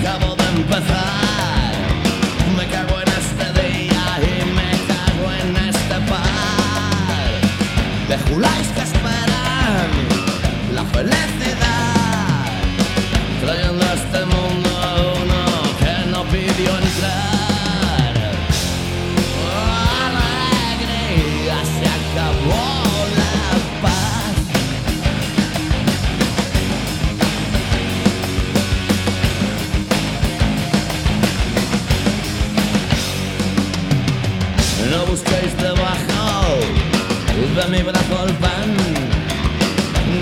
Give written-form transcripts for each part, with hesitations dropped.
acabo de empezar. Me cago en este día y me cago en este par de juláis que esperan la felicidad, trayendo a este mundo a uno que no pidió entrar. Alegría, se acabó la paz. No busquéis debajo de mi brazo el pan,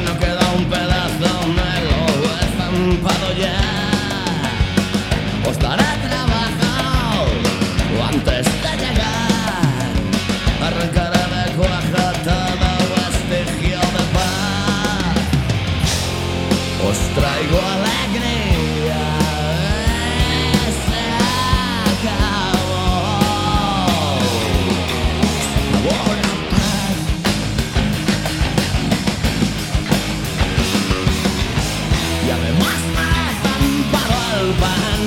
no queda un pedazo, me lo he estampado ya. Os daré trabajo antes de llegar, arrancaré de cuaja todo vestigio de paz. Os traigo alegría, se acabó la paz. Y además me he estampado el pan.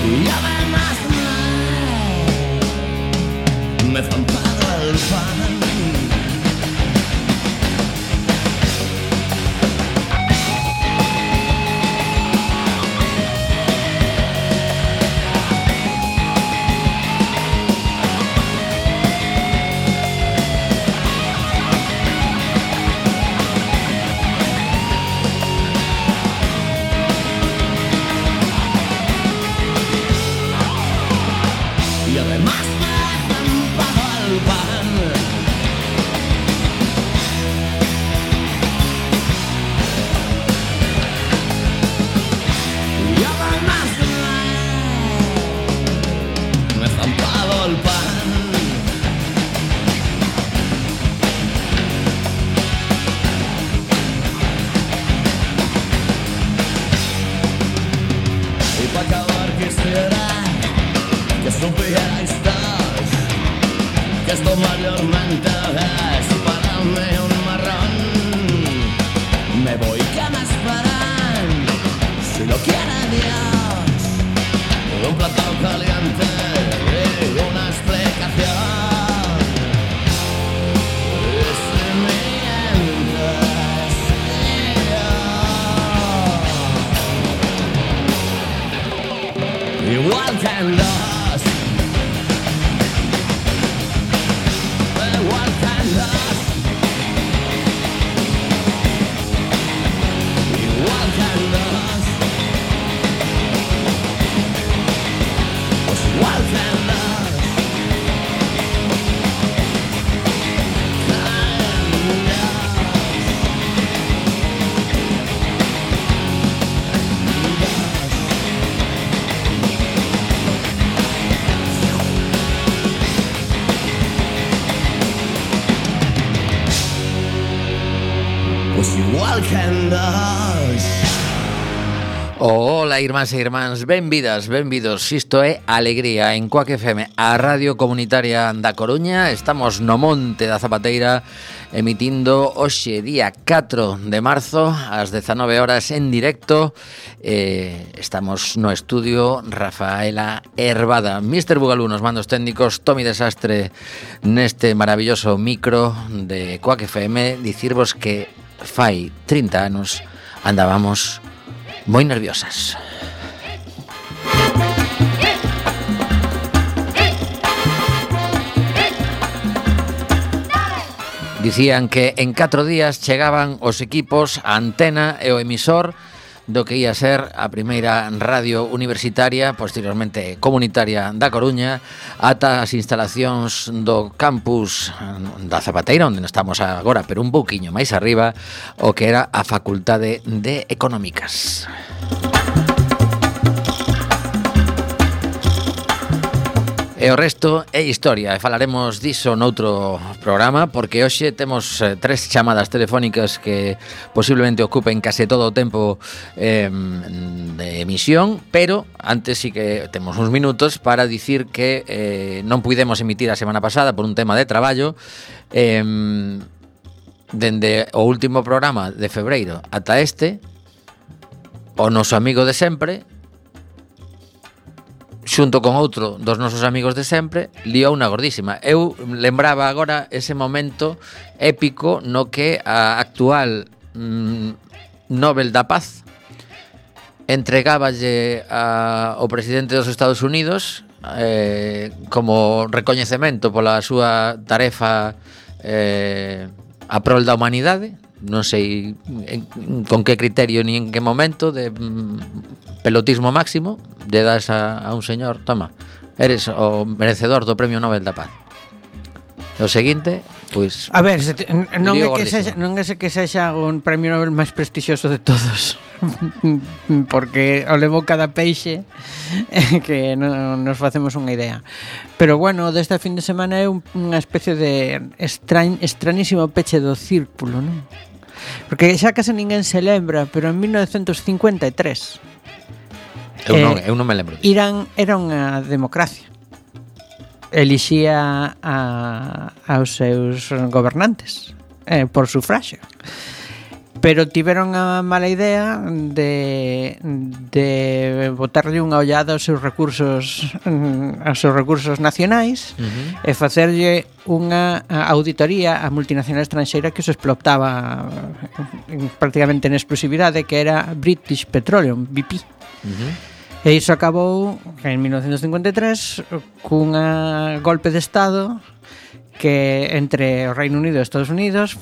Y además me he estampado el pan. Y además me he estampado el pan. Y además me he estampado el pan. Y para acabar quisiera que supierais todos que esto mayormente es para mí un marrón. Me voy, que me esperan, si lo quiere Dios, un plato caliente y una explicación. Y si mientes, igual que en dos. Igual que en dos. Igual que en dos. Pues igual que en dos. Pues igual que en dos. Ola, irmáns e irmáns, benvidas, benvidos. Isto é Alegría en Cuac FM, a Radio Comunitaria da Coruña. Estamos no Monte da Zapateira, emitindo hoxe día 4 de marzo ás 19 horas en directo. Estamos no estudio Rafaela Hervada, Mr. Bugalú nos mandos técnicos, Tomi Desastre neste maravilloso micro de Cuac FM. Dicirvos que fai 30 anos andábamos moi nerviosas. Dicían que en 4 días chegaban os equipos, a antena e o emisor do que ia ser a primeira radio universitaria, posteriormente comunitaria da Coruña, ata as instalacións do campus da Zapateira, onde estamos agora, pero un pouquiño máis arriba, o que era a Facultade de Económicas. E o resto é historia, e falaremos diso noutro programa, porque hoxe temos 3 chamadas telefónicas que posiblemente ocupen case todo o tempo de emisión, pero antes sí que temos uns minutos para dicir que non puidemos emitir a semana pasada por un tema de traballo. dende o último programa de febreiro ata este, o noso amigo de sempre, xunto con outro dos nosos amigos de sempre, liou unha gordísima. Eu lembraba agora ese momento épico no que a actual Nobel da Paz entregáballe ao presidente dos Estados Unidos como recoñecemento pola súa tarefa a prol da humanidade. Non sei con que criterio ni en que momento de pelotismo máximo de das a un señor, toma, eres o merecedor do Premio Nobel da Paz. O seguinte, pois a ver, non é que sexa un premio Nobel máis prestixioso de todos, porque o levou cada peixe que non nos facemos unha idea. Pero bueno, desta fin de semana é unha especie de extrañísimo peche do círculo, non? Porque xa case ninguén se lembra, pero en 1953 eu non me lembro. Irán era unha democracia. Elixía aos seus gobernantes por sufraxio. Pero tiveron a mala idea de botarlle unha ollada aos seus recursos nacionais e facerlle unha auditoría á multinacional estranxeira que os explotaba prácticamente en exclusividade, que era British Petroleum, BP. E iso acabou en 1953 cunha golpe de Estado que entre o Reino Unido e Estados Unidos,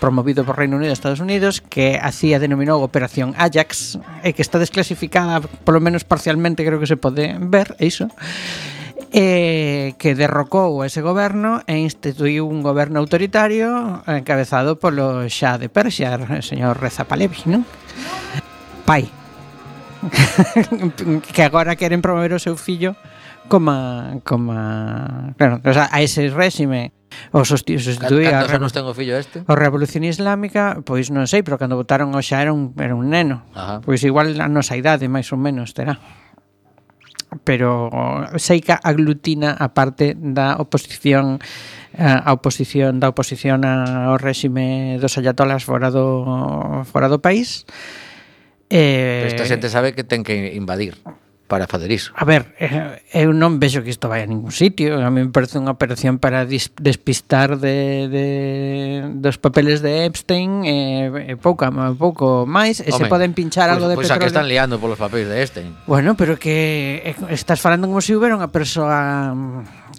promovido por Reino Unido e Estados Unidos, que denominou Operación Ajax, e que está desclasificada, polo menos parcialmente, creo que se pode ver, iso, que derrocou ese goberno e instituiu un goberno autoritario encabezado polo Shah de Persia, o señor Reza Pahlavi, non? Pai. Que agora queren promover o seu fillo como claro, o sea, a ese réxime o sustituía Cantos anos ten o fillo este? O Revolución Islámica, pois non sei, pero cando votaron o xa era un neno. Ajá. Pois igual a nosa idade máis ou menos terá. Pero sei que aglutina a parte da oposición ao réxime dos ayatolas fora do país. Pero esta xente sabe que ten que invadir para facer iso. A ver, eu non vexo que isto vai a ningún sitio. A mí me parece unha operación para despistar dos papeles de Epstein pouco máis, e se poden pinchar algo de petróleo. Pois a que están liando polos papeles de Epstein. Bueno, pero que estás falando como se houbera unha persoa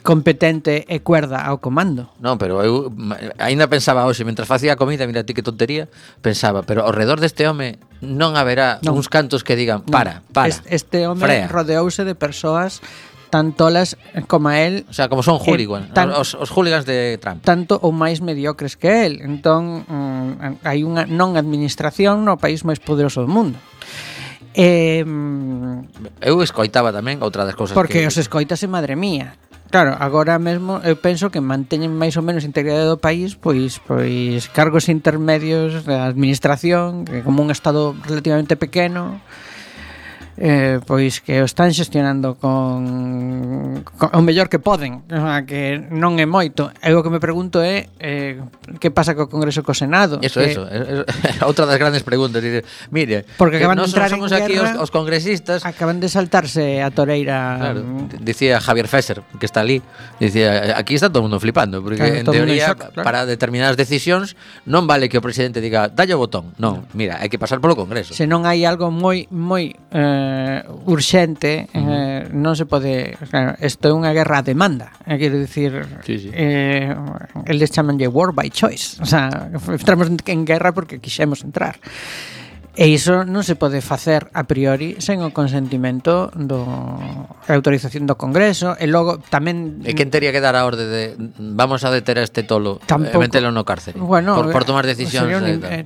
competente e cuerda ao comando. Non, pero eu aínda pensaba hoxe, mentras facía a comida, mira ti que tontería, pensaba, pero ao redor deste home non haberá uns cantos que digan para. Este home rodeouse de persoas tan tolas como a él. O sea, como son hooligans, os hooligans de Trump. Tanto ou máis mediocres que él. Entón, hai unha non administración no país máis poderoso do mundo. Eu escoitaba tamén outra das cousas porque os escoitase, madre mía. Claro, agora mesmo eu penso que manteñen máis ou menos a integridade do país pois cargos intermedios da administración, que como un estado relativamente pequeno, pois que o están xestionando con o mellor que poden, o sea, que non é moito. Eu o que me pregunto é que pasa co Congreso e co Senado. Eso, outra das grandes preguntas. Mire, porque acaban de entrar somos aquí os congresistas, acaban de saltarse a toreira. Claro, dicía Javier Fesser, que está ali, dicía, aquí está todo o mundo flipando, porque claro, en teoría shock, claro, para determinadas decisións non vale que o presidente diga dalle o botón, non, mira, hai que pasar polo Congreso. Se non hai algo moi urxente, non se pode, claro, isto é unha guerra a demanda, quero dicir, sí. Eles chamanlle war by choice, o sea, entramos en guerra porque quixemos entrar. E iso non se pode facer a priori sen o consentimento a autorización do Congreso. E logo tamén... E quen teria que dar a orde de vamos a deter a este tolo e metelo no cárcere, bueno, por tomar decisións?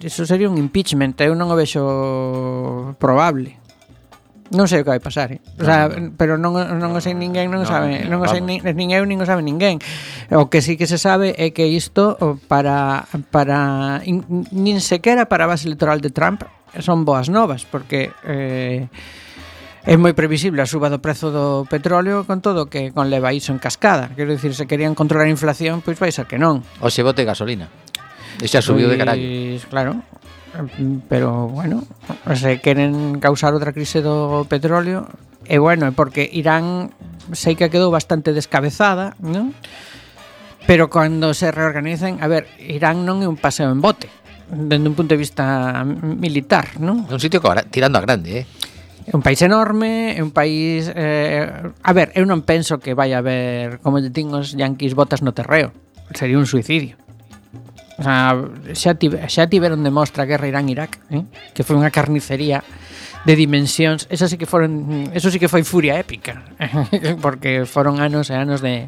Iso sería un impeachment. Eu non o vexo probable. Non sei o que vai pasar, o sea, pero non o sei ninguén, non o sabe, non o sei nin eu nin o sabe ninguén. O que sí que se sabe é que isto para nin sequera para a base electoral de Trump son boas novas, porque é moi previsible a suba do prezo do petróleo con todo que conleva iso en cascada. Quero dicir, se querían controlar a inflación, pois vai ser que non. O se bote gasolina. E xa subiu de carallo. Claro, pero bueno, se queren causar outra crise do petróleo, e bueno, é porque Irán sei que quedou bastante descabezada, non? Pero cando se reorganicen, a ver, Irán non é un paseo en bote, dende un punto de vista militar, non? É un sitio tirando a grande, É un país enorme, é un país... a ver, eu non penso que vai haber, como lle din os yanquis, botas no terreo. Sería un suicidio. O sea, xa tiveron de mostra a guerra Irán-Irak, que foi unha carnicería de dimensións. Eso sí que foi furia épica, porque foron anos e anos de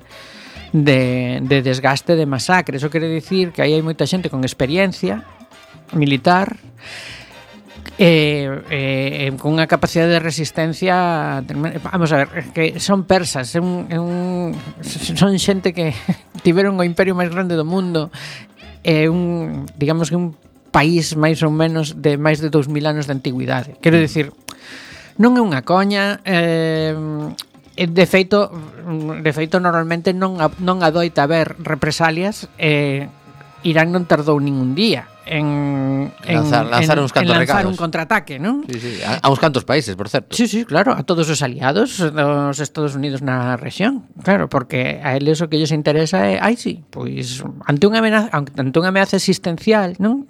desgaste, de masacre. Eso quere dicir que aí hai moita xente con experiencia militar, con unha capacidade de resistencia. Vamos a ver, que son persas, son xente que tiveron o imperio máis grande do mundo, digamos que un país máis ou menos de máis de 2000 anos de antigüidade. Quero dicir, non é unha coña. De feito normalmente non adoita haber represalias. Irán non tardou ningún día en lanzar uns cantos recados, un contraataque, non? Sí, a uns cantos países, por certo. Sí, claro, a todos os aliados dos Estados Unidos na rexión. Claro, porque a eles o que lles interesa é, pois ante unha ameaza existencial, non?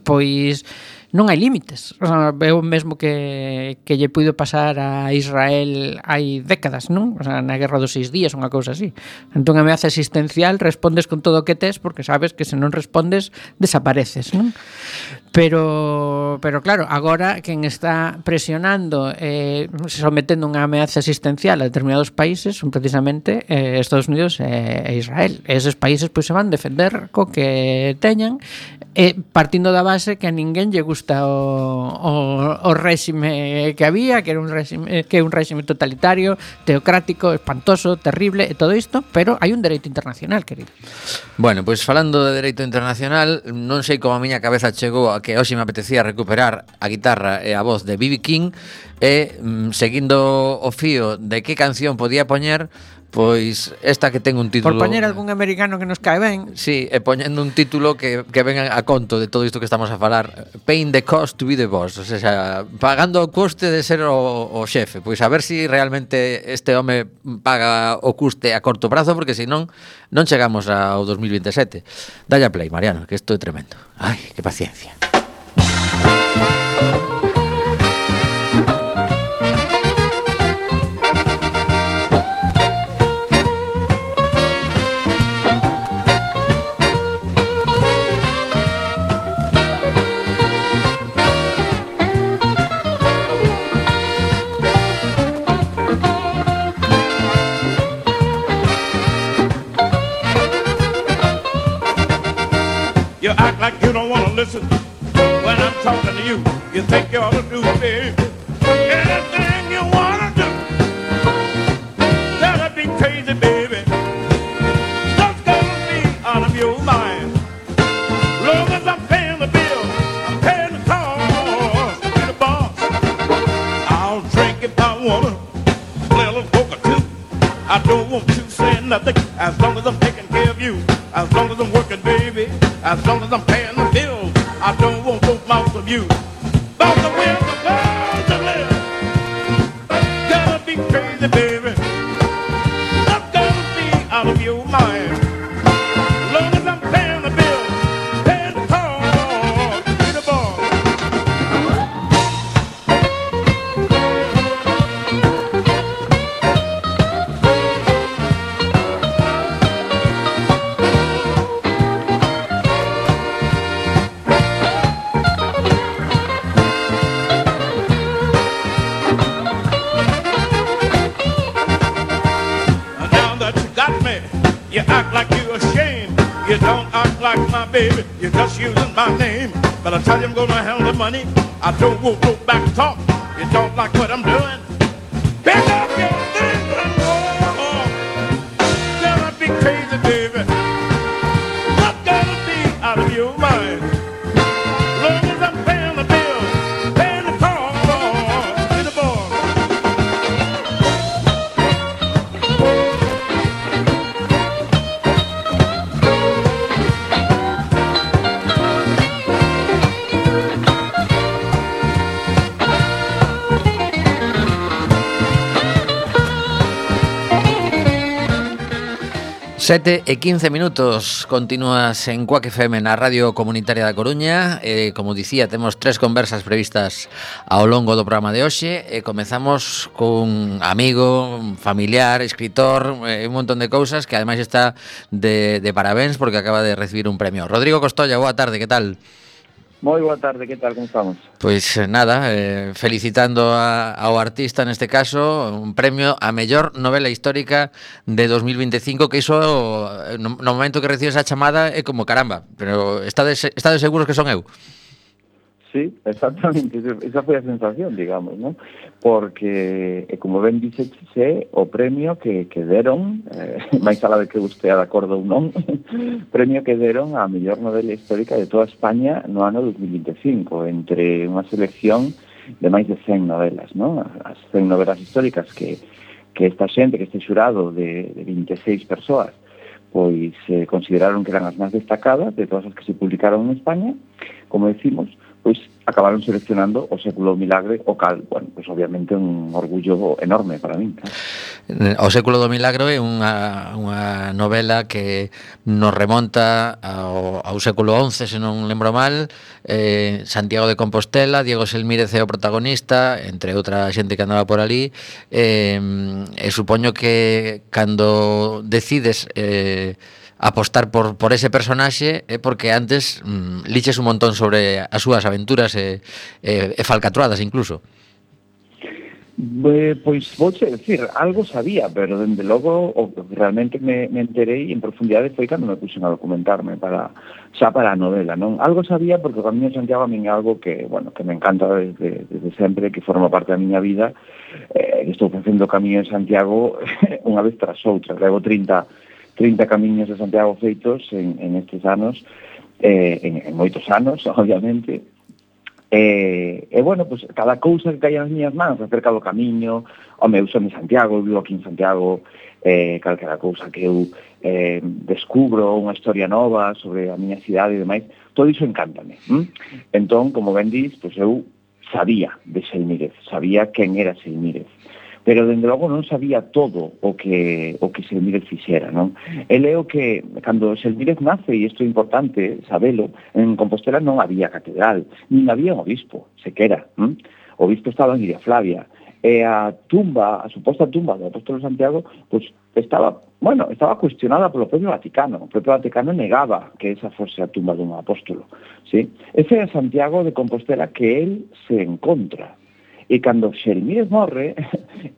Pois non hai límites. O sea, é o mesmo que lle puido pasar a Israel hai décadas, non? O sea, na Guerra dos 6 días, unha cousa así. Ante unha ameaza existencial respondes con todo o que tes, porque sabes que se non respondes desapareces, non? Pero claro, agora quen está presionando, sometendo unha ameaza existencial a determinados países son precisamente Estados Unidos e Israel. Eses países pois se van defender co que teñan, partindo da base que a ninguén lle gusta o réxime que había, que é un réxime totalitario, teocrático, espantoso, terrible e todo isto, pero hai un dereito internacional, querido. Bueno, pois falando de dereito internacional, non sei como a miña cabeza chegou a que hoxe me apetecía recuperar a guitarra e a voz de B.B. King, e seguindo o fío de que canción podía poñer, pois esta que ten un título... Por poñer algún americano que nos cae ben. Sí, e poñendo un título que venga a conto de todo isto que estamos a falar. Paying the cost to be the boss. O sea, pagando o custe de ser o xefe. Pois a ver si realmente este home paga o custe a corto prazo, porque senón non chegamos ao 2027. Dalle a play, Mariano, que isto é tremendo. Ai, que paciencia. You act like you don't want to listen when I'm talking to you. You think you ought to do, baby, anything you want to do. That'd be crazy, baby. That's gonna be out of your mind. Long as I'm paying the bill, I'm paying the cost to the boss. I'll drink if I want to, play a little poker too. I don't want to say nothing as long as I'm taking care of you. As long as I'm working, baby, as long as I'm paying the bills, I don't want no mouth of you. About the way the world to live, gotta be crazy, baby. That's gotta be out of your mind. As long as I'm paying the bills, paying the cost, be the boss. You act like you're ashamed. You don't act like my baby. You're just using my name. But I tell you I'm gonna handle the money. I don't want no back talk. You don't like what I'm doing. Pick up your things and go. Gonna be crazy, baby. Not gonna be out of your mind. Long as I'm paying the bill, paying the cost, be the boss. 7:15, continúas en Cuac FM na Radio Comunitaria da Coruña. Como dicía, temos 3 conversas previstas ao longo do programa de hoxe. Comezamos cun amigo, un familiar, escritor, un montón de cousas, que ademais está de parabéns porque acaba de recibir un premio. Rodrigo Costolla, boa tarde, que tal? Moi boa tarde, que tal, como estamos? Pois nada, felicitando ao artista neste caso, un premio a mellor novela histórica de 2025, que iso no momento que recibes a chamada é como caramba, pero estades seguros que son eu? Sí, exactamente, esa foi a sensación, digamos, ¿no? Porque, como ben dixese, o premio que deron, máis alá de que usted de acordo ou non, premio que deron a mellor novela histórica de toda España no ano 2025, entre unha selección de máis de 100 novelas, ¿no? As 100 novelas históricas que esta xente, que este xurado de 26 persoas, pois consideraron que eran as máis destacadas de todas as que se publicaron en España, como decimos, pois acabaron seleccionando O século do milagre, o cal, bueno, pois obviamente un orgullo enorme para min. O século do milagro é unha novela que nos remonta ao século XI, se non lembro mal. Santiago de Compostela, Diego Selmírez é o protagonista, entre outra xente que andaba por ali, e supoño que cando decides apostar por ese personaxe é porque antes liches un montón sobre as súas aventuras e falcatruadas incluso. Pois vouche decir, algo sabía, pero dende logo o realmente me enterei en profundidade foi cando me puxen a documentarme para a novela, non? Algo sabía porque o Camiño de Santiago a min é algo que, bueno, que me encanta desde sempre, que forma parte da miña vida. Estou facendo o Camiño de Santiago unha vez tras outra, levo 30 camiños de Santiago feitos en estes anos, en moitos anos, obviamente. Bueno, pues, cada cousa que caia nas miñas mans acerca do camiño, eu son de Santiago, vivo aquí en Santiago, calquera cousa que eu descubro unha historia nova sobre a miña cidade e demais, todo iso encántame. Entón, como ben dis, pues, eu sabía de Selmírez, sabía quen era Selmírez, pero dende logo non sabía todo o que Selmírez fixera, non? Ele é o que, cando Selmírez nace, e isto é importante sabelo, en Compostela non había catedral, nin había un obispo, sequera. O obispo estaba en Iria Flavia, e a suposta tumba do apóstolo Santiago, pois estaba cuestionada polo propio Vaticano. O propio Vaticano negaba que esa fose a tumba dun apóstolo, ¿sí? Ese é Santiago de Compostela que él se encontra. E cando Selmírez morre,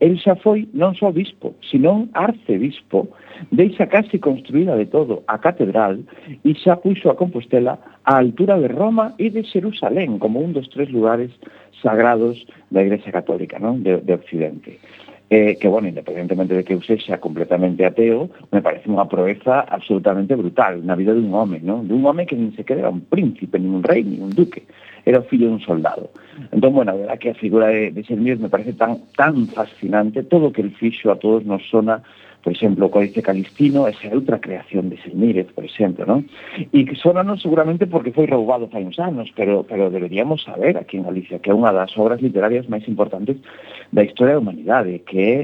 el xa foi non só bispo, senón arcebispo, deixa casi construída de todo a catedral e xa puxo a Compostela á altura de Roma e de Xerusalén como un dos 3 lugares sagrados da Igrexa Católica, non? De Occidente. Que, bueno, independentemente de que eu sexa completamente ateo, me parece unha proeza absolutamente brutal na vida dun home, non? Dun home que nin sequera era un príncipe, nin un rei, nin un duque, era o fillo dun soldado. Entón, bueno, a verdad que a figura de Selmírez me parece tan fascinante, todo o que el fixo a todos nos sona, por exemplo, o Códice Calistino, esa outra creación de Selmírez, por exemplo, non? E que sonanos seguramente porque foi roubado fai uns anos, pero deberíamos saber aquí en Galicia que é unha das obras literarias máis importantes da historia da humanidade, que é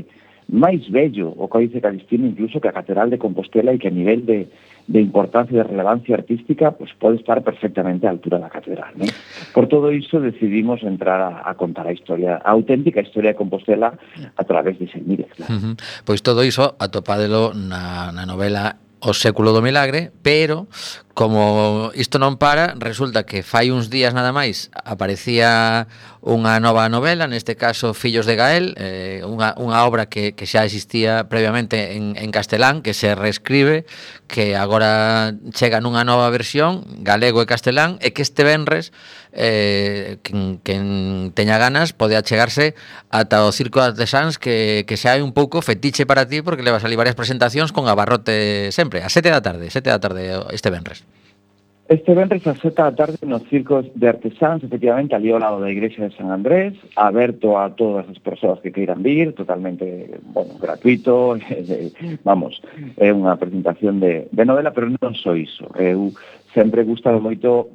máis bello o Códice Calistino incluso que a Catedral de Compostela e que a nivel de importancia e de relevancia artística pues pode estar perfectamente á altura da catedral, ¿no? Por todo iso decidimos entrar a contar a historia, a auténtica historia de Compostela a través de Selmírez, claro. Pois todo iso atopádelo na novela O século do milagre, pero como isto non para, resulta que fai uns días nada máis aparecía unha nova novela, neste caso Fillos de Gael, unha obra que xa existía previamente en castelán, que se reescribe, que agora chega nunha nova versión, galego e castelán, e que este venres quen teña ganas pode achegarse ata o Circo de Artesáns, que xa hai un pouco fetiche para ti, porque levas ali varias presentacións con abarrote sempre, a 7 da tarde este venres. Este venres a 7 da tarde no Circo de Artesáns, efectivamente, ali ao lado da Igrexa de San Andrés, aberto a todas as persoas que queiran vir, totalmente, bueno, gratuito, vamos, é unha presentación de novela, pero non só iso. Eu sempre gustado moito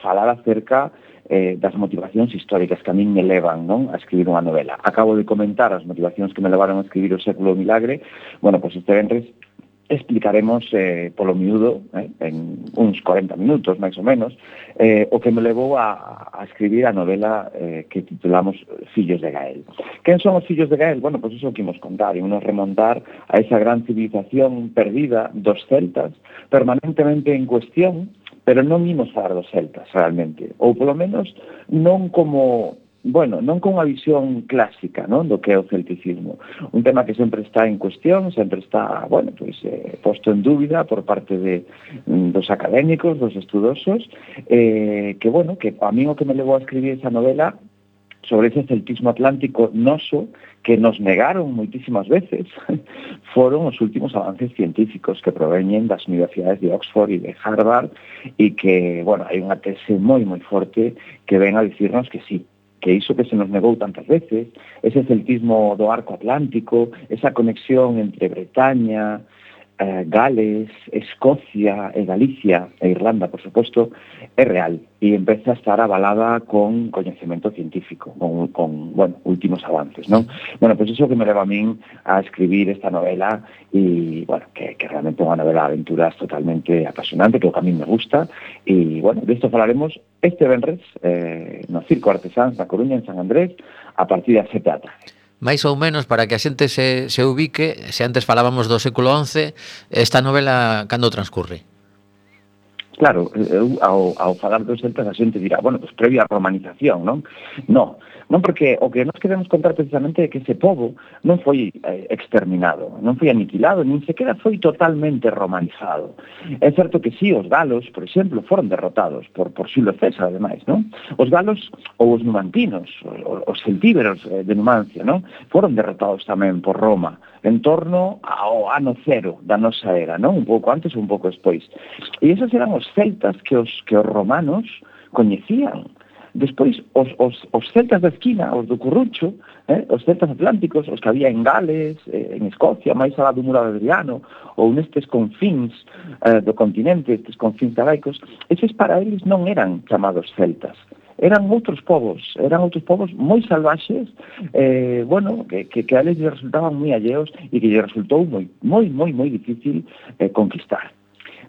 falar acerca das motivacións históricas que a min me levan, non, a escribir unha novela. Acabo de comentar as motivacións que me levaron a escribir O século do milagre. Bueno, pois este venres explicaremos polo miúdo, en uns 40 minutos, máis ou menos, o que me levou a escribir a novela que titulamos Fillos de Gael. Quen son os fillos de Gael? Bueno, pois iso que imos contar, imos remontar a esa gran civilización perdida dos celtas, permanentemente en cuestión, pero non imos falar dos celtas, realmente. Ou, polo menos, non como... Bueno, non con unha visión clásica, non, do que é o celticismo. Un tema que sempre está en cuestión, sempre está, bueno, pois, posto en dúbida por parte dos académicos, dos estudosos, que, bueno, que a mí o que me levou a escribir esa novela sobre ese celtismo atlántico noso que nos negaron moitísimas veces foron os últimos avances científicos que proveñen das universidades de Oxford e de Harvard e que, bueno, hai unha tese moi, moi forte que ven a dicirnos que sí, que iso que se nos negou tantas veces, ese celtismo do arco atlántico, esa conexión entre Bretaña, Gales, Escocia e Galicia e Irlanda, por suposto, é real e empeza a estar avalada con coñecemento científico, con bueno, últimos avances, non? Bueno, pois iso que me leva a min a escribir esta novela e, bueno, que realmente é unha novela de aventuras totalmente apasionante, que o que a mí me gusta e, bueno, disto falaremos este venres no Circo Artesáns da Coruña en San Andrés a partir das 7 da tarde. máis ou menos para que a xente se ubique, se antes falábamos do século XI, esta novela cando transcurre? Claro, ao falar dos celtas a xente dirá, bueno, pues previa romanización, non? Non, porque o que nos queremos contar precisamente é que ese pobo non foi exterminado, non foi aniquilado, nin sequera foi totalmente romanizado. É certo que sí, os galos, por exemplo, foron derrotados por Xulio César, ademais, non? Os galos ou os numantinos, os celtíberos de Numancia, non? Foron derrotados tamén por Roma en torno ao ano cero da nosa era, non? Un pouco antes ou un pouco despois. E esos eran os celtas que os romanos coñecían. Despois, os celtas da esquina, os do Currucho, os celtas atlánticos, os que había en Gales, en Escocia, máis alá do Muro de Adriano, ou nestes confins do continente, estes confins talaicos, eses para eles non eran chamados celtas. Eran outros povos moi salvaxes, bueno, que a eles resultaban moi alleos e que lle resultou moi difícil conquistar.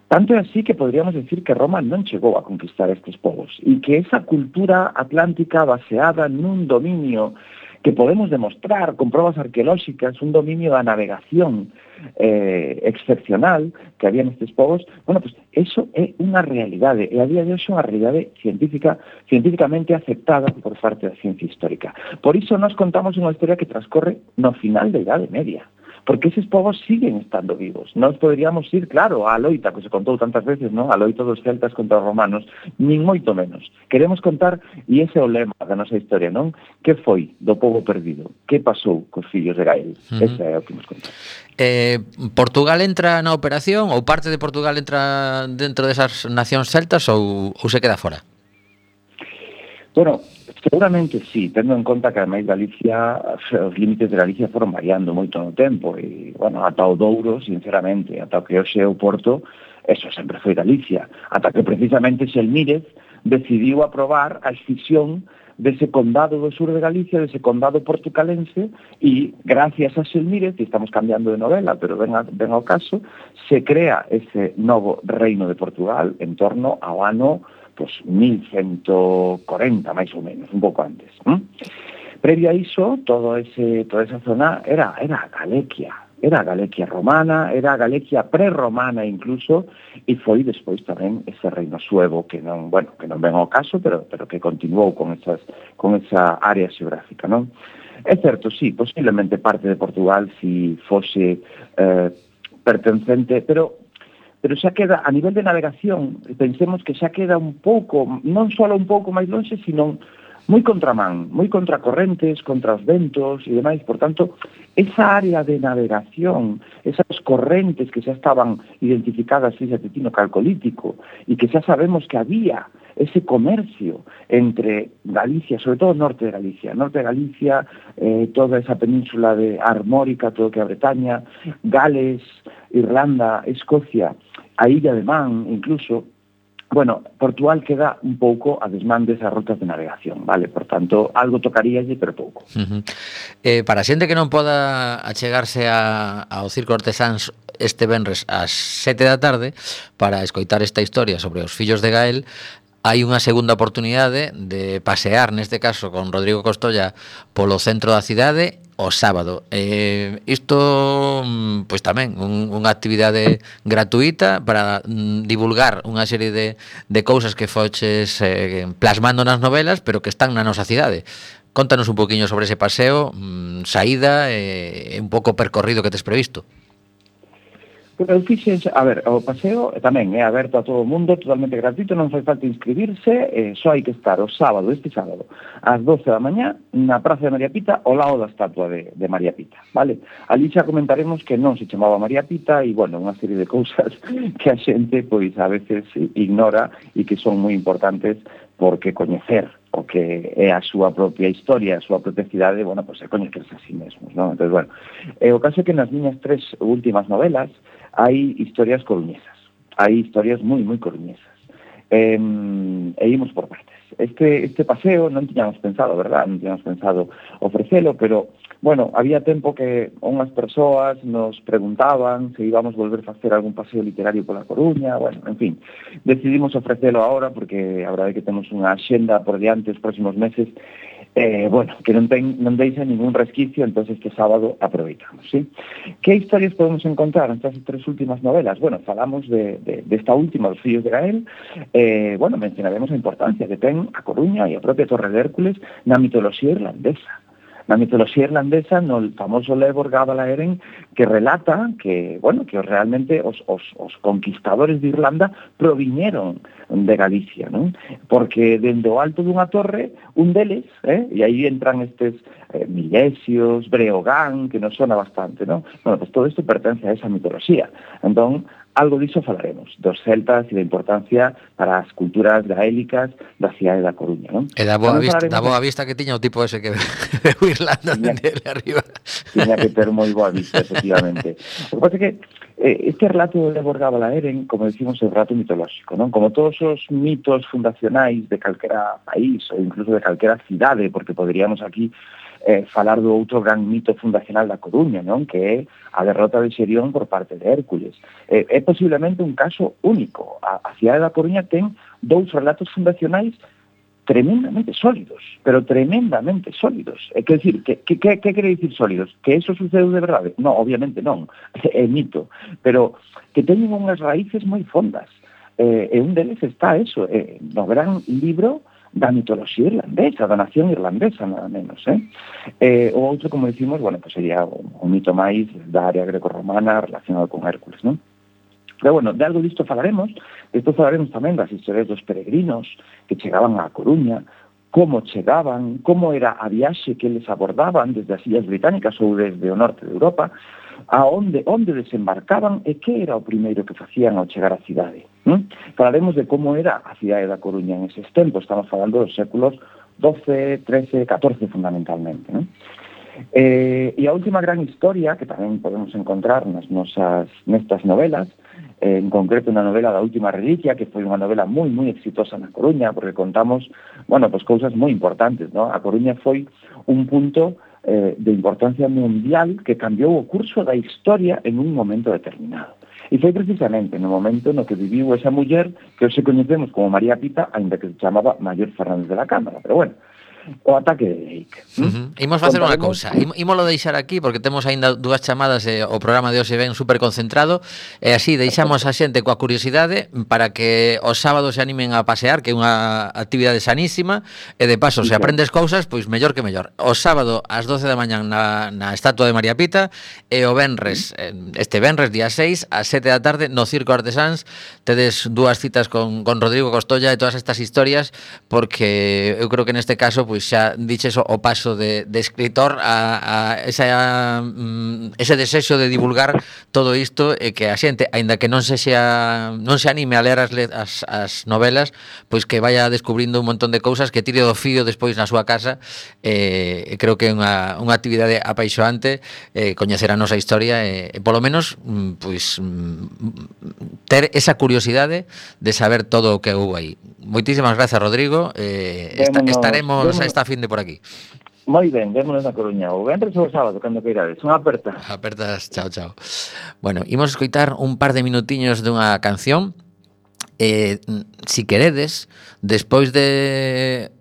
Tanto é así que podríamos decir que Roma non chegou a conquistar estes povos e que esa cultura atlántica baseada nun dominio que podemos demostrar con probas arqueolóxicas, un dominio da navegación excepcional que había nestes povos, bueno, pues eso é unha realidade e a día de hoxe unha realidade científicamente aceptada por parte da ciencia histórica. Por iso nos contamos unha historia que transcorre no final da Idade Media, porque eses povos siguen estando vivos. Nós poderíamos ir, claro, á loita, que se contou tantas veces, non? A loita dos celtas contra os romanos, nin moito menos. Queremos contar, e ese é o lema da nosa historia, non? Que foi do povo perdido? Que pasou cos fillos de Gael? Ese é o que nos contar. Portugal entra na operación, ou parte de Portugal entra dentro desas nacións celtas, ou se queda fora? Bueno, seguramente sí, tendo en conta que ademais Galicia, os límites de Galicia foron variando moito no tempo e, bueno, ata o Douro, sinceramente, ata o que hoxe é o Porto, eso sempre foi Galicia, ata que precisamente Xelmírez decidiu aprobar a escisión dese condado do sur de Galicia, dese condado portucalense, e gracias a Xelmírez, e estamos cambiando de novela, pero ven ao caso, se crea ese novo reino de Portugal en torno ao ano pues 1140, máis ou menos, un pouco antes. Previo a iso, toda esa zona era Galequia romana, era Galequia prerromana incluso, e foi despois tamén ese reino suevo que non ven ao caso, pero que continuou con esa área xeográfica, non? É certo, sí, posiblemente parte de Portugal si fose pertencente, pero xa queda, a nivel de navegación, pensemos que xa queda un pouco, non só un pouco máis longe, sino moi contramán, moi contracorrentes, contra os ventos e demais. Por tanto, esa área de navegación, esas correntes que xa estaban identificadas fíxate ti no Calcolítico e que xa sabemos que había ese comercio entre Galicia, sobre todo norte de Galicia, toda esa península de Armórica, todo que a Bretaña, Gales, Irlanda, Escocia, a Illa de Man, incluso, bueno, Portugal queda un pouco a desmán desas rutas de navegación, vale? Por tanto, algo tocaríalle, pero pouco. Para a xente que non poda achegarse ao Circo Artesáns este venres ás 7 da tarde para escoitar esta historia sobre os fillos de Gael, hai unha segunda oportunidade de pasear, neste caso con Rodrigo Costolla, polo centro da cidade o sábado. Isto, pois tamén, unha actividade gratuita para divulgar unha serie de cousas que foches plasmando nas novelas, pero que están na nosa cidade. Contanos un poquinho sobre ese paseo, saída e un pouco percorrido que tes previsto. Pero eu fixen, a ver, o paseo tamén é aberto a todo o mundo, totalmente gratuito, non fai falta inscribirse, só hai que estar este sábado, ás 12 da mañá, na Praza de María Pita, ao lado da estatua de María Pita, vale? Ali xa comentaremos que non se chamaba María Pita e, bueno, unha serie de cousas que a xente, pois, a veces ignora e que son moi importantes porque coñecer o que é a súa propia historia, a súa propia cidade, bueno, pois é coñecerse a sí mesmos, non? Entón, bueno, o caso é que nas miñas 3 últimas novelas hai historias coruñesas, hai historias moi coruñesas. E imos por partes. Este paseo non tiñamos pensado, verdad? Non tiñamos pensado ofrecelo, pero, bueno, había tempo que unhas persoas nos preguntaban se íbamos volver a facer algún paseo literario pola Coruña, bueno, en fin, decidimos ofrecelo ahora porque a verdade é que temos unha axenda por diante os próximos meses, bueno, que non deixa ningún resquicio, entón este sábado aproveitamos, ¿sí? Que historias podemos encontrar nestas 3 últimas novelas? Bueno, falamos desta última, Os fillos de Gael, bueno, mencionaremos a importancia que ten a Coruña e a propia Torre de Hércules na mitoloxía irlandesa. Na mitoloxía irlandesa, no famoso Lebor Gabalaeren, que relata que, bueno, que realmente os conquistadores de Irlanda proviñeron de Galicia, non? Porque dende o alto dunha torre, un deles, e aí entran estes Milesios, Breogán, que nos sona bastante, non? Bueno, pues todo isto pertence a esa mitoloxía. Entón, algo diso falaremos, dos celtas e da importancia para as culturas gaélicas da cidade da Coruña, non? E da boa vista que tiña o tipo ese que veu Irlanda dende arriba. Tiña que ter moi boa vista, efectivamente. O que pasa é que este relato de Lebor Gabalaeren, como decimos, é un relato mitolóxico, non? Como todos os mitos fundacionais de calquera país ou incluso de calquera cidade, porque poderíamos aquí falar do outro gran mito fundacional da Coruña, non? Que é a derrota de Xerión por parte de Hércules. É posiblemente un caso único. A cidade da Coruña ten 2 relatos fundacionais tremendamente sólidos, pero tremendamente sólidos. Quer decir, que quere dicir sólidos? Que eso sucedeu de verdade? Non, obviamente non, é mito, pero que teñen unhas raíces moi fondas. E un deles está eso, no gran libro da mitoloxía irlandesa, da nación irlandesa, nada menos, O outro, como decimos, bueno, pues sería un mito máis da área greco-romana relacionado con Hércules, non? Pero, bueno, de algo disto falaremos. Despois falaremos tamén das historias dos peregrinos que chegaban á Coruña, como chegaban, como era a viaxe que eles abordaban desde as Illas Británicas ou desde o norte de Europa, onde desembarcaban e que era o primeiro que facían ao chegar á cidade. Falaremos de como era a cidade da Coruña en eses tempos. Estamos falando dos séculos XII, XIII, XIV fundamentalmente, non? E a última gran historia que tamén podemos encontrar nestas novelas, en concreto unha novela da Última Reliquia, que foi unha novela moi exitosa na Coruña, porque contamos, bueno, pues cousas moi importantes, ¿no? A Coruña foi un punto de importancia mundial que cambiou o curso da historia en un momento determinado. E foi precisamente no momento no que viviu esa muller que hoxe coñecemos como María Pita, ainda que se chamaba Mayor Fernández de la Cámara, pero bueno, o ataque de Drake. Imos facer unha cousa, ímolo deixar aquí porque temos aínda 2 chamadas e o programa de hoxe ven super concentrado e así deixamos a xente coa curiosidade para que os sábados se animen a pasear, que é unha actividade sanísima e de paso, se aprendes cousas, pois mellor que mellor. O sábado ás 12 da mañán na estatua de María Pita e o venres, este venres día 6 ás 7 da tarde no Circo Artesáns tedes 2 citas con Rodrigo Costolla e todas estas historias porque eu creo que neste caso pois xa diches o paso de escritor a ese desexo de divulgar todo isto e que a xente, aínda que non se anime a ler as novelas, pois que vaya descubrindo un montón de cousas, que tire do fío despois na súa casa. Creo que é unha actividade apaixoante coñecer a nosa historia e polo menos pois ter esa curiosidade de saber todo o que houve aí. Moitísimas grazas, Rodrigo. Estaremos esta fin de por aquí. Moi ben, vémonos na Coruña. O venres ou o sábado, cando queirades. Unha aperta. Apertas, chao, chao. Bueno, imos escoitar un par de minutiños dunha canción. Si queredes, despois de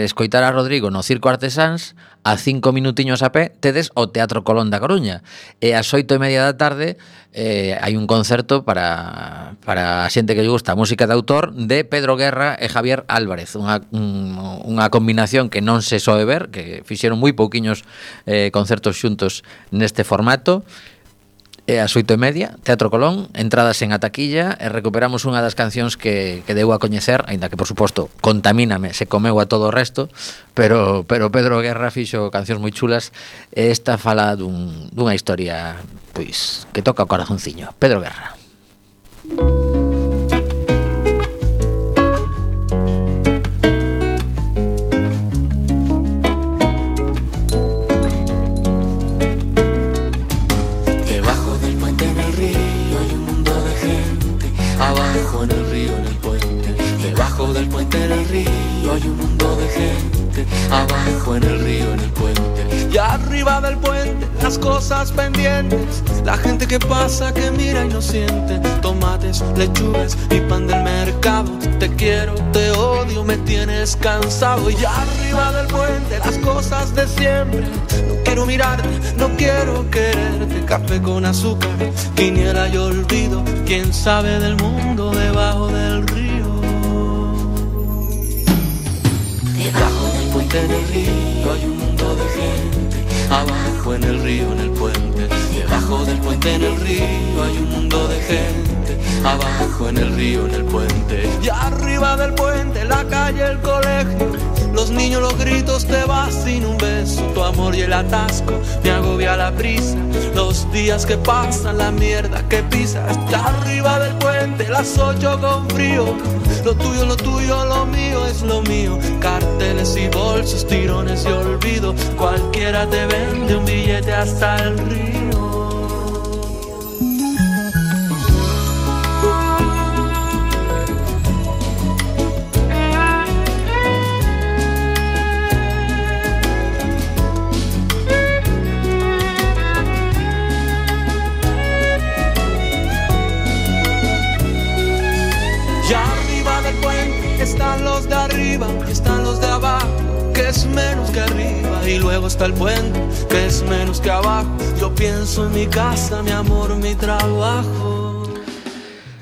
escoitar a Rodrigo no Circo Artesáns, a 5 minutiños a pé tedes o Teatro Colón da Coruña, e ás 8:30 da tarde hai un concerto para a xente que lle gusta a música de autor de Pedro Guerra e Javier Álvarez, unha combinación que non se soe ver, que fixeron moi pouquiños concertos xuntos neste formato. E ás 8:30, Teatro Colón, entradas en a taquilla, e recuperamos unha das cancións que deu a coñecer, aínda que, por suposto, Contamíname se comeu a todo o resto, pero Pedro Guerra fixo cancións moi chulas, e esta fala dunha historia pois que toca o corazonciño. Pedro Guerra. Abajo en el río, en el puente, debajo del puente en el río hay un mundo de gente. Abajo en el río, en el puente, y arriba del puente las cosas pendientes. La gente que pasa, que mira y no siente. Tomates, lechugas y pan del mercado. Te quiero, te odio, me tienes cansado. Y arriba del puente las cosas de siempre. No quiero mirarte, no quiero quererte. Café con azúcar, quiniela y olvido. ¿Quién sabe del mundo debajo del río? Debajo del puente en el río hay un mundo de gente. Abajo en el río, en el puente. Debajo del puente en el río hay un mundo de gente. Abajo en el río, en el puente. Y arriba del puente la calle, el colegio. Los niños, los gritos, te vas sin un beso. Tu amor y el atasco me agobia la prisa. Los días que pasan, la mierda que pisas. Y arriba del puente las 8 con frío. Lo tuyo, lo mío es lo mío. Carteles y bolsos, tirones y olvido. Cualquiera te vende un billete hasta el río. Están los de arriba y están los de abajo, que es menos que arriba. Y luego está el puente, que es menos que abajo. Yo pienso en mi casa, mi amor, mi trabajo.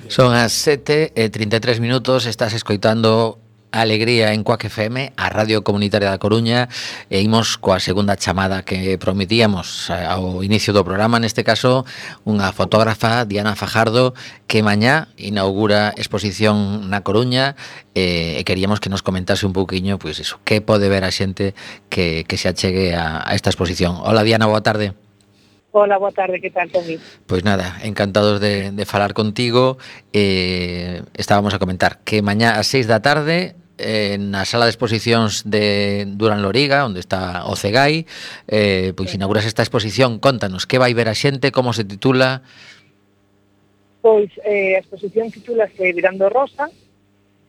Son as 7:33 minutos, estás escoitando Alegría en Cuac FM, a Radio Comunitaria da Coruña, e imos coa segunda chamada que prometíamos ao inicio do programa, neste caso unha fotógrafa, Diana Fajardo, que mañá inaugura exposición na Coruña, e queríamos que nos comentase un pouquiño, pois iso, que pode ver a xente que se achegue a esta exposición. Hola Diana, boa tarde. Hola, boa tarde, que tal, Tomi? Pois nada, encantados de falar contigo. Estábamos a comentar que mañá ás 6 da tarde na sala de exposicións de Durán Loriga, onde está o Cegai, pois inauguras esta exposición. Contanos, que vai ver a xente, como se titula? Pois a exposición titúlase Virando Rosa,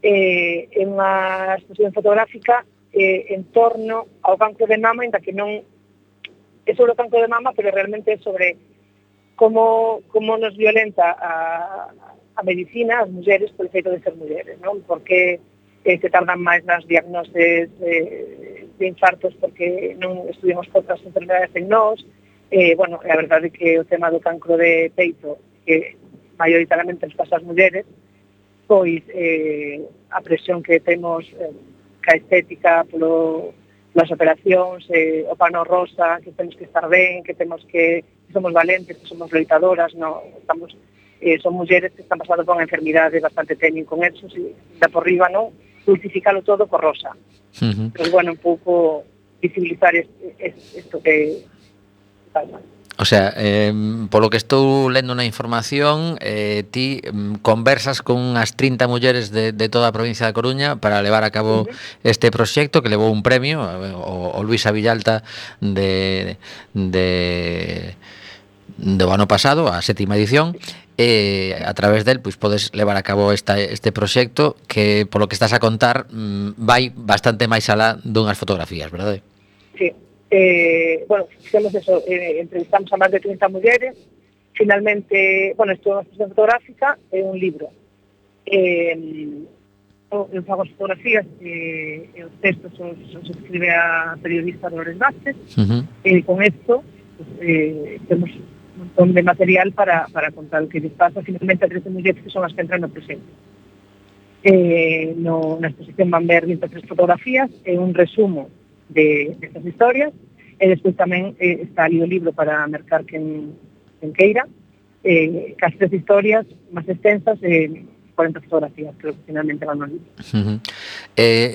é unha exposición fotográfica en torno ao cancro de mama, ainda que non é sobre o cancro de mama, pero realmente é sobre como nos violenta a medicina, as mulleres, por feito de ser mulleres, non? Porque se tardan máis nas diagnoses de infartos porque non estudiamos outras enfermedades en nós. Bueno, a verdade é que o tema do cancro de peito, que maioritariamente nos pasa as mulleres, pois a presión que temos ca estética polas operacións, o pano rosa, que temos que estar ben, que somos valentes, que somos loitadoras, no, son mulleres que están pasando por unha enfermidade bastante teñen con eso, e da por riba, non? dulcificalo todo co rosa. Pero bueno, un pouco visibilizar isto que pasa. O sea, polo que estou lendo na información, ti conversas con unhas 30 mulleres de toda a provincia da Coruña para levar a cabo este proxecto que levou un premio, o Luisa Villalta do ano pasado, a 7ª edición, e a través del pois podes levar a cabo este proxecto que, polo que estás a contar, vai bastante máis alá dunhas fotografías, verdade? Sí. Bueno, fixemos eso, entrevistamos a máis de 30 mulleres. Finalmente, bueno, isto é unha exposición fotográfica, é un libro. Eu fago as fotografías e os textos os escribe a periodista Dolores Vázquez. Con isto pues, temos un montón de material para contar o que les pasa. Finalmente, a 13 mulleres que son as que entran no presente. Na exposición van ver 23 fotografías e un resumo de estas historias, e despois tamén está ali o libro para mercar quen queira, cas 3 historias máis extensas, 40 fotografías, creo que finalmente van no libro.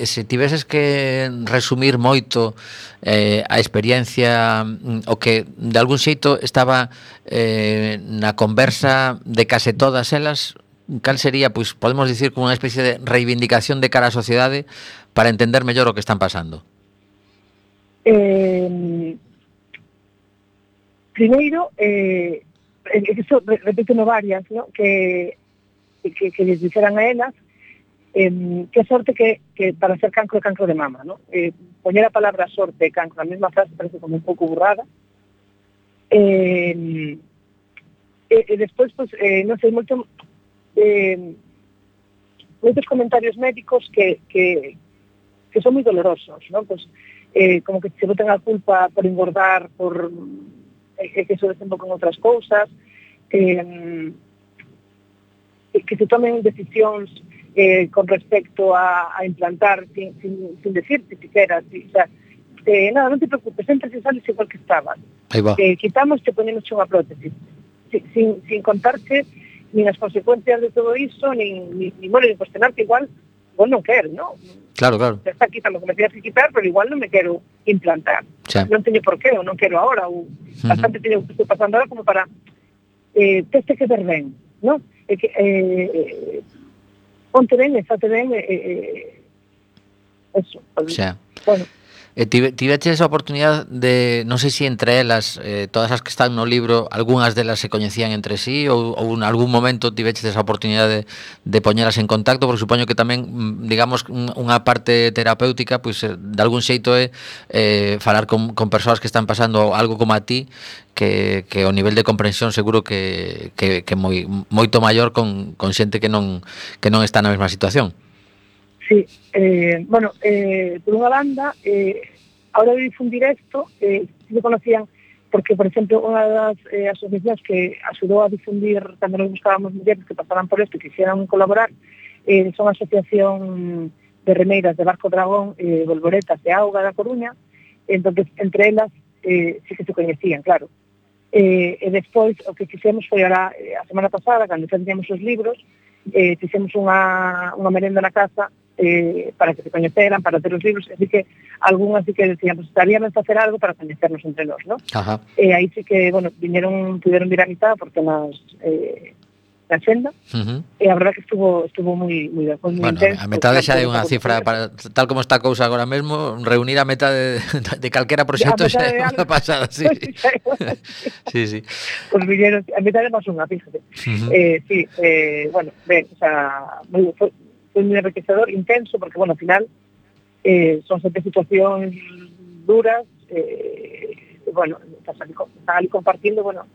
Se tiveses que resumir moito a experiencia, o que de algún xeito estaba na conversa de case todas elas, cal sería, pois podemos dicir, como unha especie de reivindicación de cara á sociedade para entender mellor o que están pasando? Primeiro, eso repito varias, ¿no? que les dixeran a elas que sorte que para ser cancro de mama, ¿no? Poñer a palabra sorte e cancro na mesma frase parece como un pouco burrada. E despois, pues, non sei, moitos comentarios médicos que son moi dolorosos, ¿no? Pues, como que se boten a culpa por engordar, por que se desembocan outras cousas, que se tomen decisións con respecto a implantar sin decirte siquiera, o sea, nada, non te preocupes, sempre se sales igual que estabas. Quitamos te ponemos unha prótesis, sin contarte nin as consecuencias de todo iso, nin cuestionarte igual, vos non queres, non? Claro. Ya está quitando que me tienes que quitar, pero igual non me quero implantar. Non teño por qué, ou non quero ahora, ou bastante teño que estou pasando ahora como para teste que ver ben, non? Ponte ben, estate ben, eso. Bueno. Tiveches a oportunidade de, non sei se entre elas, todas as que están no libro, algunhas delas se coñecían entre sí, ou en algún momento tiveches esa oportunidade de poñelas en contacto, porque supoño que tamén, digamos, unha parte terapéutica, pois de algún xeito é falar con persoas que están pasando algo como a ti, que o nivel de comprensión seguro que moito maior con xente que non está na mesma situación. Sí, bueno, por unha banda, a hora de difundir isto, se conocían, porque, por exemplo, unha das asociacións que axudou a difundir cando nos buscábamos mulleres que pasaran por isto e quixeran colaborar, son a Asociación de Remeiras de Barco Dragón, Volvoretas de Auga da Coruña, entonces, entre elas, sí que se coñecían, claro. E despois, o que fixemos foi a semana pasada, cando facíamos os libros, fixemos unha merenda na casa para que se coñeceran, para ter os libros, así que algunhas sí que decían, pues estaríamos a facer algo para coñecernos entre nós, ¿no? E aí sí que, bueno, pudieron vir a mitad por temas da xenda, e a verdad que estuvo moi intenso. A metade xa é unha cifra, para, tal como está a cousa agora mesmo, reunir a metade de calquera proxecto xa é unha pasada, sí. Sí. Pues viñeron, a metade máis unha, fíjate. Sí, bueno, ben, o sea, foi moi enriquecedor, intenso, porque, bueno, ao final son 7 situacións duras, bueno, están ali compartindo, bueno,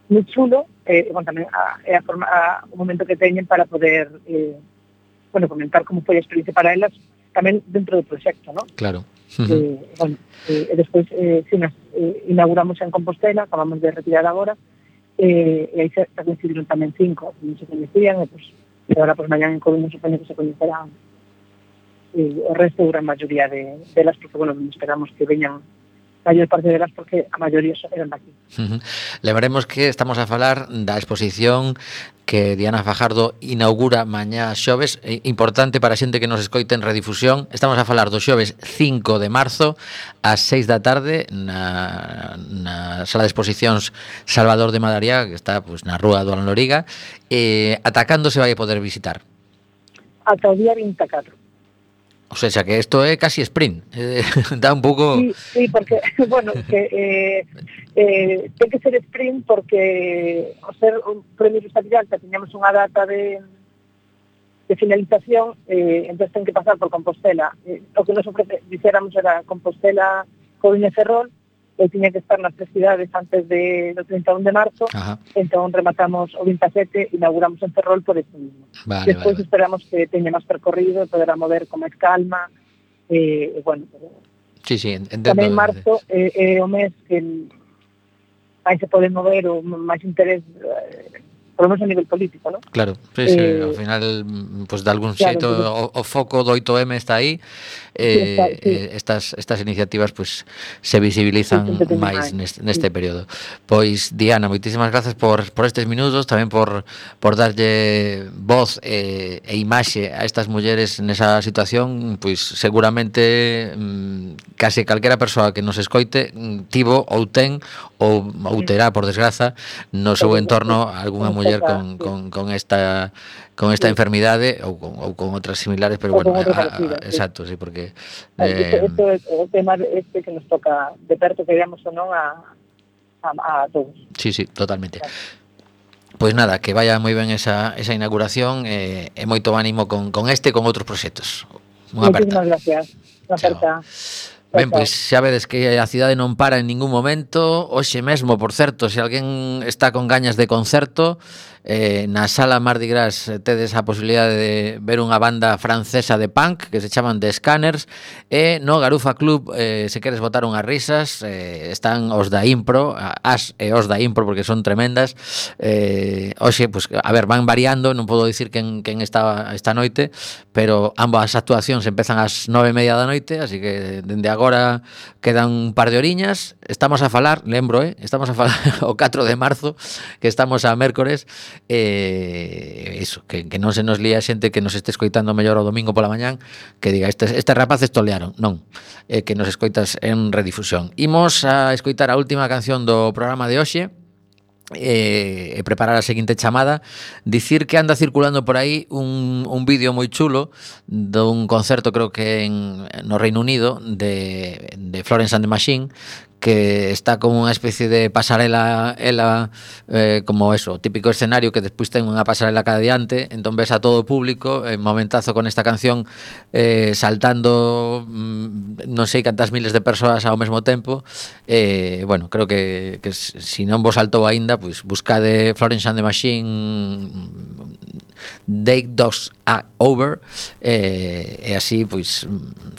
moi chulo, bueno, tamén o momento que teñen para poder, bueno, comentar como foi a experiencia para elas, tamén dentro do proxecto, ¿no? Claro. Bueno, e despois, inauguramos en Compostela, acabamos de retirar agora, e aí se coincidiron tamén 5, non se coñecían, e, pues, e agora, pues, mañan en Coruña supoño que se coñecerán o resto, a gran maioría de elas, porque, bueno, esperamos que veñan maior parte delas porque a maioría eran daqui. Lembremos que estamos a falar da exposición que Diana Fajardo inaugura mañá xoves, importante para a xente que nos escoite en redifusión. Estamos a falar do xoves 5 de marzo ás 6 da tarde na sala de exposicións Salvador de Madariaga, que está pues, na rúa do Loriga. Ata cando se vai a poder visitar? Ata o día 24. O sea, que isto é casi sprint. Dá un pouco... Sí, porque, bueno, que ten que ser sprint porque ao ser un premio Luisa Villalta teñamos unha data de finalización, entón ten que pasar por Compostela. O que nos ofrece, dixéramos, era Compostela, Coruña e Ferrol, e tiña que estar nas 3 cidades antes do 31 de marzo. Ajá. Entón rematamos o 27 e inauguramos en Ferrol por eso mismo. Despois esperamos que teña máis percorrido e poderá mover con máis calma. Bueno, sí, entendo. Tamén marzo é o mes que aí se pode mover o máis interés, por lo menos a nivel político, ¿no? Claro, sí, ao final, pues de algún xeito, o foco do 8M está aí, estas iniciativas pues se visibilizan máis neste período. Pois, Diana, moitísimas grazas por estes minutos, tamén por darlle voz e imaxe a estas mulleres nesa situación, pois seguramente case calquera persoa que nos escoite tivo ou ten ou terá, por desgraza, no seu entorno algunha muller con esta enfermidade ou con outras similares, pero bueno, exacto, sí, porque isto é o tema que nos toca de perto, que digamos ou non a todos. Sí, totalmente. Pois nada, que vaya moi ben esa inauguración e moito ánimo con este e con outros proxectos. Unha aperta. Moitísimas gracias. Unha aperta. Ben, pois xa vedes que a cidade non para en ningún momento. Hoxe mesmo, por certo, se alguén está con gañas de concerto, na sala Mardi Gras tedes a posibilidade de ver unha banda francesa de punk que se chaman The Scanners, e no Garufa Club, se queres botar unhas risas, están os da Impro, as e os da Impro, porque son tremendas. Hoxe, pues, a ver, van variando, non podo dicir quen está esta noite, pero ambas actuacións empezan ás 9:30 da noite, así que dende agora quedan un par de horiñas. Estamos a falar, lembro, estamos a falar o 4 de marzo, que estamos a mércores. Iso, que non se nos lía xente que nos este escoitando mellor o domingo pola mañán, que diga, estes rapaces tolearon. Non, que nos escoitas en redifusión. Imos a escoitar a última canción do programa de hoxe e preparar a seguinte chamada. Dicir que anda circulando por aí un vídeo moi chulo dun concerto, creo que no Reino Unido, de Florence and the Machine, que está como unha especie de pasarela, como eso, típico escenario que despois ten unha pasarela cada diante, entón ves a todo o público en momentazo con esta canción saltando non sei cantas miles de persoas ao mesmo tempo. Bueno, creo que se non vos saltou aínda, pois buscade Florence and the Machine Take Dogs Over, e así pois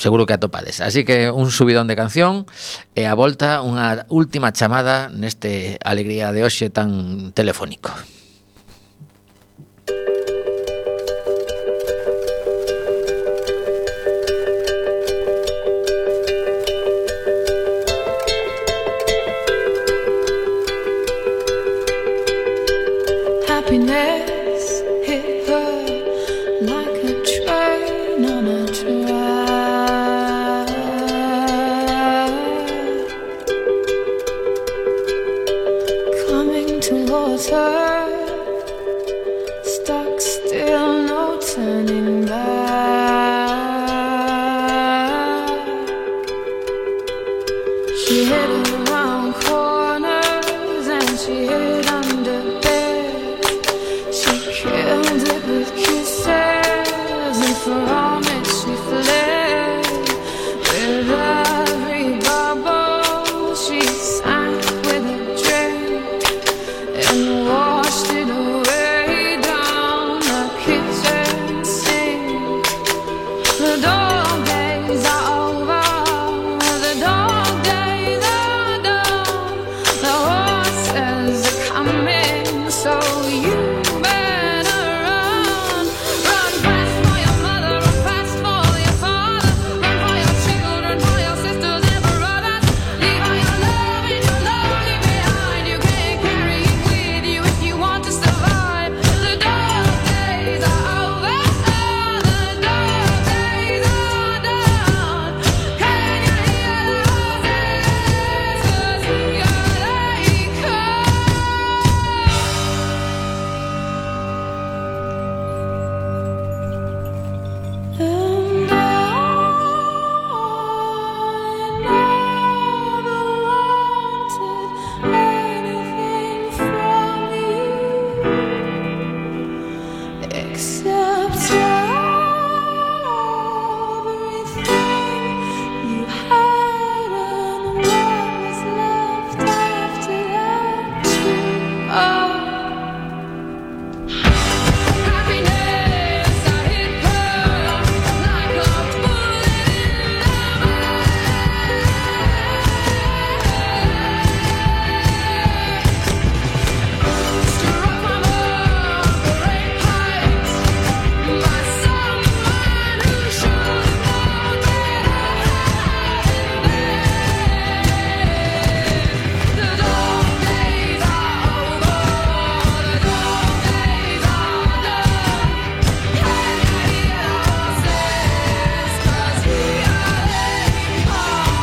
seguro que atopades. Así que un subidón de canción e a volta unha última chamada neste alegría de hoxe tan telefónico. Happiness hit her like a train on a track, coming towards her, stuck still, no turning back. She hid around corners and she hid under bed. She killed it with kisses, and for all it she fled. With every bubble she sank with a drink and washed it away down the kitchen sink. The dog days are over, the dog days are done, the horses are coming, so you better run, run fast for your mother. accept everything you had and what was left after that too. Oh. Happiness, I hit her like a bullet in the struck from a great height by someone who should have known better. The dog days are over, the dog days are done. Can I hear horses? 'Cause we are late home.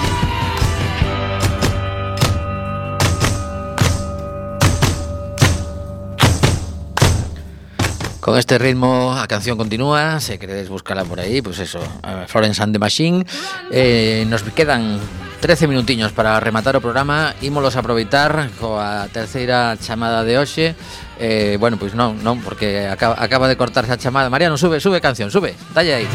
Con este ritmo a canción continúa, se queréis buscarla por aí, pues eso, Florence and the Machine. Nos quedan 13 minutiños para rematar o programa. Ímolos aproveitar coa terceira chamada de hoxe. Bueno, pois non, porque acaba de cortarse a chamada. Mariano, sube canción, sube, dalle aí.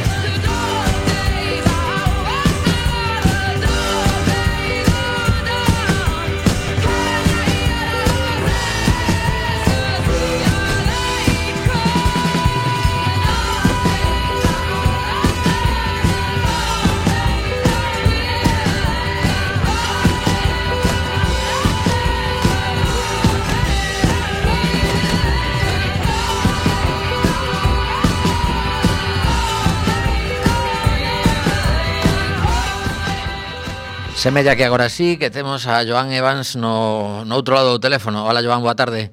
Semella que agora sí, que temos a Joan Evans no outro lado do teléfono. Hola, Joan, boa tarde.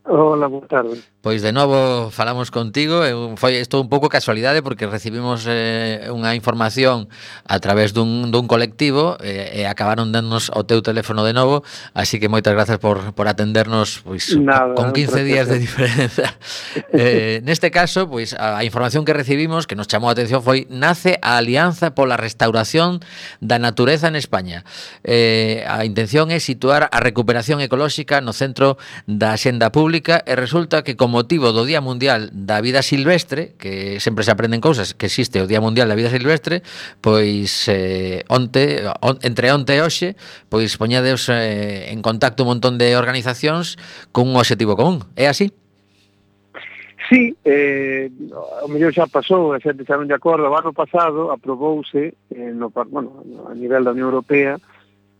Hola, boa tarde. Pois de novo falamos contigo. Foi isto un pouco casualidade porque recibimos unha información a través dun colectivo e acabaron dándonos o teu teléfono de novo, así que moitas gracias por atendernos, pois Nada, con 15 días de diferenza. Neste caso, pois a información que recibimos que nos chamou a atención foi: nace a Alianza pola Restauración da Natureza en España. A intención é situar a recuperación ecolóxica no centro da axenda pública e resulta que con motivo do Día Mundial da Vida Silvestre, que sempre se aprenden cousas, que existe o Día Mundial da Vida Silvestre, pois entre onte e hoxe, pois poñades en contacto un montón de organizacións con un obxectivo común. É así? Sí, o mellor xa pasou, a xente xa non de acordo. O ano pasado aprobouse a nivel da Unión Europea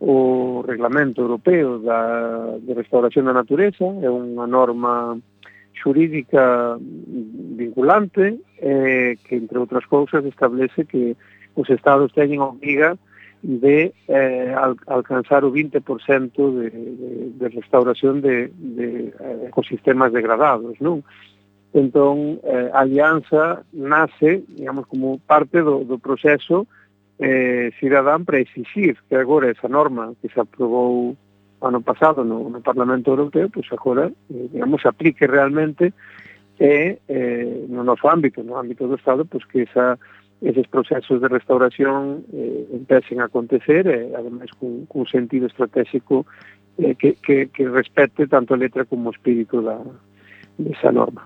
o Reglamento Europeo de Restauración da Natureza. É unha norma xurídica vinculante que, entre outras cousas, establece que os estados teñen a obriga de alcanzar o 20% de restauración de ecosistemas degradados, non? Entón, a Alianza nace, digamos, como parte do proceso cidadán para exigir que agora esa norma que se aprobou ano pasado no Parlamento Europeo, pois agora, digamos, se aplique realmente no noso ámbito, no ámbito do Estado, pois que eses procesos de restauración empecen a acontecer, ademais cun sentido estratégico que respete tanto a letra como o espírito desa norma.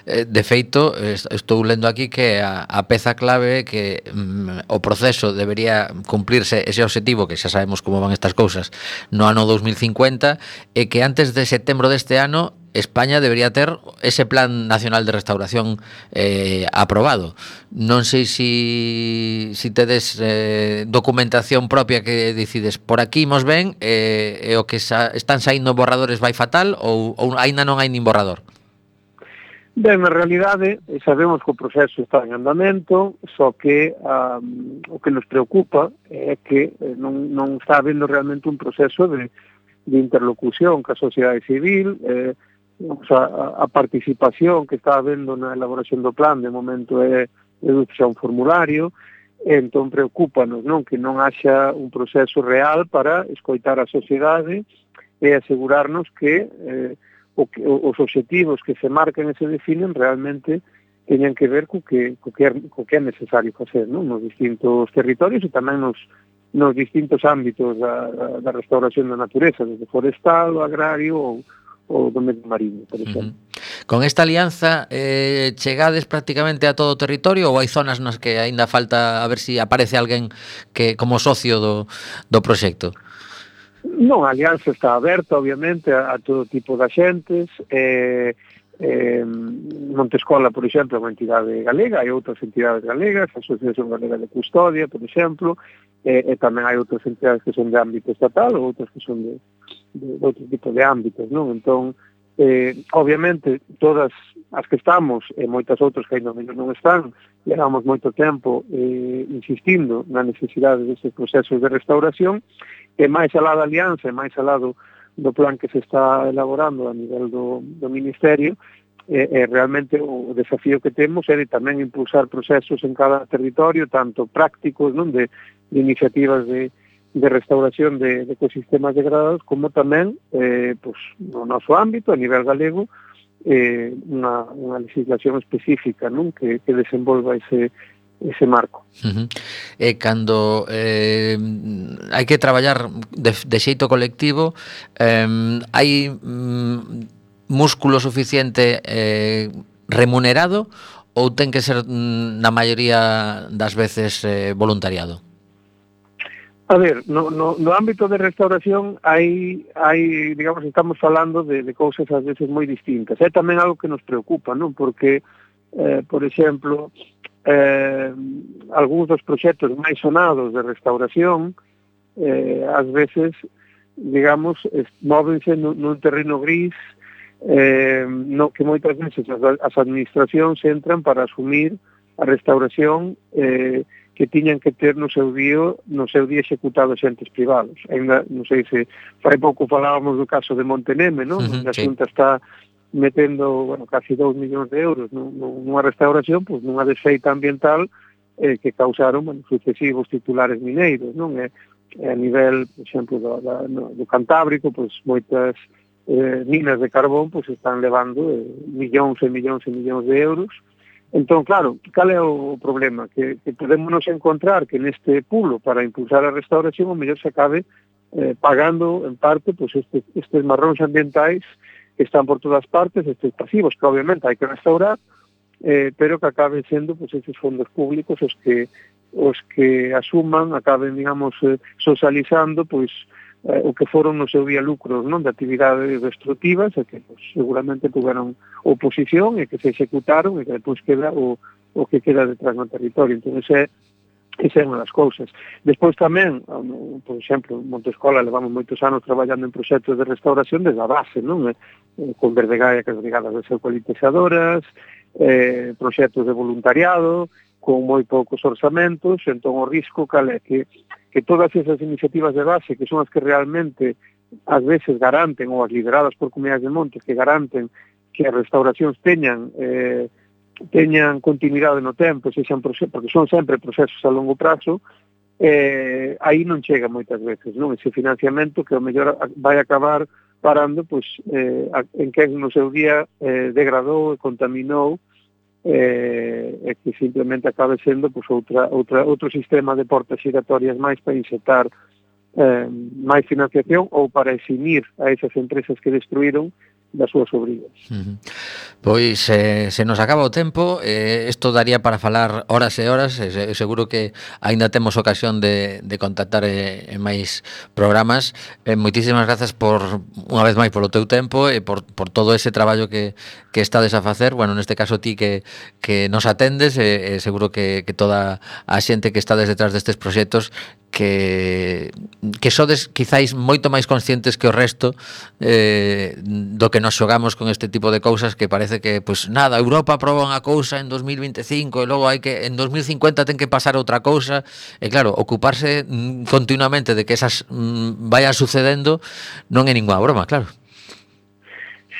De feito, estou lendo aquí que a peza clave que o proceso debería cumplirse ese obxectivo, que xa sabemos como van estas cousas, no ano 2050, e que antes de setembro deste ano España debería ter ese Plan Nacional de Restauración aprobado. Non sei si tedes documentación propia que decides por aquí imos ben, e o que están saindo borradores vai fatal ou aínda non hai nin borrador? Ben, na realidade, sabemos que o proceso está en andamento, só que o que nos preocupa é que non está habendo realmente un proceso de interlocución ca sociedade civil. A participación que está habendo na elaboración do plan de momento é xa un formulario, entón preocúpanos, non, que non haxa un proceso real para escoitar a sociedade e asegurarnos que os obxectivos que se marcan e se definen realmente teñan que ver co que é necesario facer, non, nos distintos territorios e tamén nos distintos ámbitos da restauración da natureza, desde forestal, agrario ou do medio marino, por exemplo. Con esta alianza chegades prácticamente a todo o territorio ou hai zonas nas que aínda falta a ver se aparece alguén que como socio do proxecto? Non, a alianza está aberta, obviamente, a todo tipo de xentes. Montescola, por exemplo, é unha entidade galega, hai outras entidades galegas, a Asociación Galega de Custodia, por exemplo, e tamén hai outras entidades que son de ámbito estatal ou outras que son de outro tipo de ámbitos, non? Entón, obviamente, todas as que estamos e moitas outras que ainda non están, levamos moito tempo insistindo na necesidade destes procesos de restauración, e máis alá da alianza, e máis alá do plan que se está elaborando a nivel do Ministerio, realmente o desafío que temos é de tamén impulsar procesos en cada territorio, tanto prácticos, non, de iniciativas de restauración de ecosistemas degradados, como tamén pues, no noso ámbito, a nivel galego, unha legislación específica, non, que desenvolva ese marco. E cando hai que traballar de xeito colectivo, hai músculo suficiente remunerado ou ten que ser na maioría das veces voluntariado? A ver, no ámbito de restauración hai, digamos, estamos falando de cousas ás veces moi distintas. É tamén algo que nos preocupa, non? Porque, por exemplo, algúns dos proxectos máis sonados de restauración ás veces, digamos, móvense nun terreno gris no que moitas veces as administracións entran para asumir a restauración que tiñan que ter no seu día executado xentes privados. Ainda, non sei se fai pouco falábamos do caso de Monteneme, non? A Xunta está metendo, bueno, casi 2 millóns de euros nunha restauración, pois nunha desfeita ambiental que causaron, bueno, sucesivos titulares mineiros, non? A nivel, por exemplo, do Cantábrico, pois moitas minas de carbón pois están levando millóns e millóns e millóns de euros. Entón, claro, cal é o problema? Que podemos encontrar que neste pulo para impulsar a restauración o mellor se acabe pagando en parte pois estes marróns ambientais que están por todas partes, estes pasivos que obviamente hai que restaurar, pero que acaben sendo pois estes fondos públicos os que asuman, acaben, digamos, socializando pois o que foron no seu día lucros, non, de actividades destructivas e que pues, seguramente tuveron oposición e que se executaron e que depois queda o que queda detrás no territorio. Entón, esa é unha das cousas. Despois tamén, por exemplo, en Montescola levamos moitos anos traballando en proxectos de restauración desde a base, non? Con Verdegaia, que as brigadas deseucaliptizadoras, proxectos de voluntariado, con moi poucos orzamentos, entón o risco cal é que todas esas iniciativas de base, que son as que realmente ás veces garanten, ou as lideradas por comunidades de montes, que garanten que as restauracións teñan continuidade no tempo, porque son sempre procesos a longo prazo, aí non chega moitas veces, non? Ese financiamento que ao mellor vai acabar parando pois, en que no seu día degradou e contaminou e que simplemente acabe sendo pues, outro sistema de portas giratorias máis para insertar máis financiación ou para eximir a esas empresas que destruíron das súas obrigas. Pois se nos acaba o tempo, isto daría para falar horas e horas, seguro que aínda temos ocasión de contactar en máis programas. Moitísimas grazas unha vez máis polo teu tempo e por todo ese traballo que estades a facer. Bueno, neste caso ti que nos atendes, seguro que toda a xente que estades detrás destes proxectos que sodes quizáis moito máis conscientes que o resto do que nos xogamos con este tipo de cousas que parece que, pues nada, Europa aproba unha cousa en 2025 e logo hai que en 2050 ten que pasar outra cousa e claro, ocuparse continuamente de que esas vayan sucedendo non é ninguna broma, claro.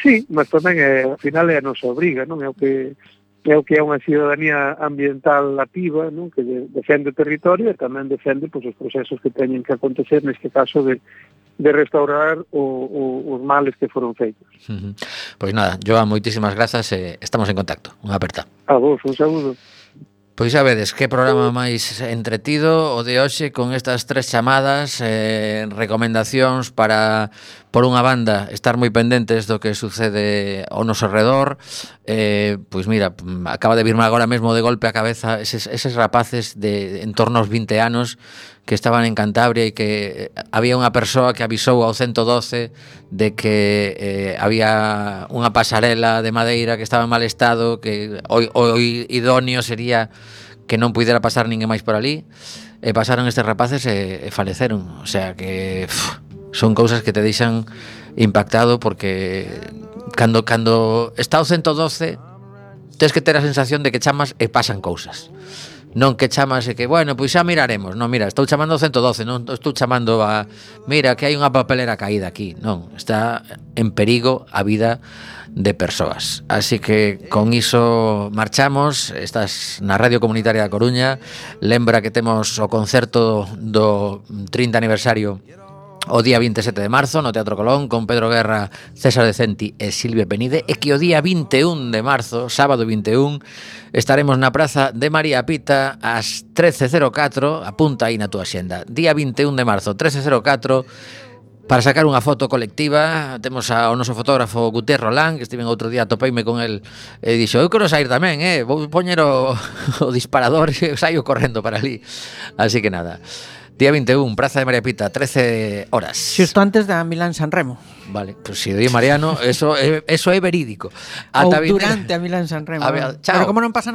Sí, mas tamén ao final é a nosa obriga, non é o que é unha ciudadanía ambiental activa, non? Que defende o territorio e tamén defende pois, os procesos que teñen que acontecer, neste caso de restaurar os males que foron feitos. Pois nada, Joan, moitísimas grazas e estamos en contacto. Unha aperta. A vos, un saúdo. Pois xa vedes, que programa máis entretido o de hoxe con estas 3 chamadas, recomendacións para por unha banda, estar moi pendentes do que sucede ao noso redor. Pois mira, acaba de virme agora mesmo de golpe a cabeza eses rapaces de en torno aos 20 anos que estaban en Cantabria e que había unha persoa que avisou ao 112 de que había unha pasarela de madeira que estaba en mal estado, que o idóneo sería que non puidera pasar ninguén máis por ali, e pasaron estes rapaces e faleceron. O sea que son cousas que te deixan impactado, porque cando está o 112 tens que ter a sensación de que chamas e pasan cousas. Non que chamas e que, bueno, pois xa miraremos. Non, mira, estou chamando ao 112, non estou chamando a... Mira, que hai unha papelera caída aquí. Non, está en perigo a vida de persoas. Así que con iso marchamos. Estás na Radio Comunitaria da Coruña. Lembra que temos o concerto do 30 aniversario o día 27 de marzo no Teatro Colón, con Pedro Guerra, César Decenti e Silvia Penide, e que o día 21 de marzo, sábado 21, estaremos na Praza de María Pita ás 13:04, apunta aí na túa xenda. Día 21 de marzo, 13:04, para sacar unha foto colectiva. Temos ao noso fotógrafo Gutiérrez Rolán, que estive outro día, topeime con el e dixo, eu quero sair tamén, vou poñer o disparador e saio correndo para ali. Así que nada, día 21, Praza de María Pita, 13 horas. Xusto antes da Milán-San Remo. Vale, pues si o di Mariano, eso é verídico. Ou durante a Milán-San Remo. A ver, chao. Pero como non pasa nada,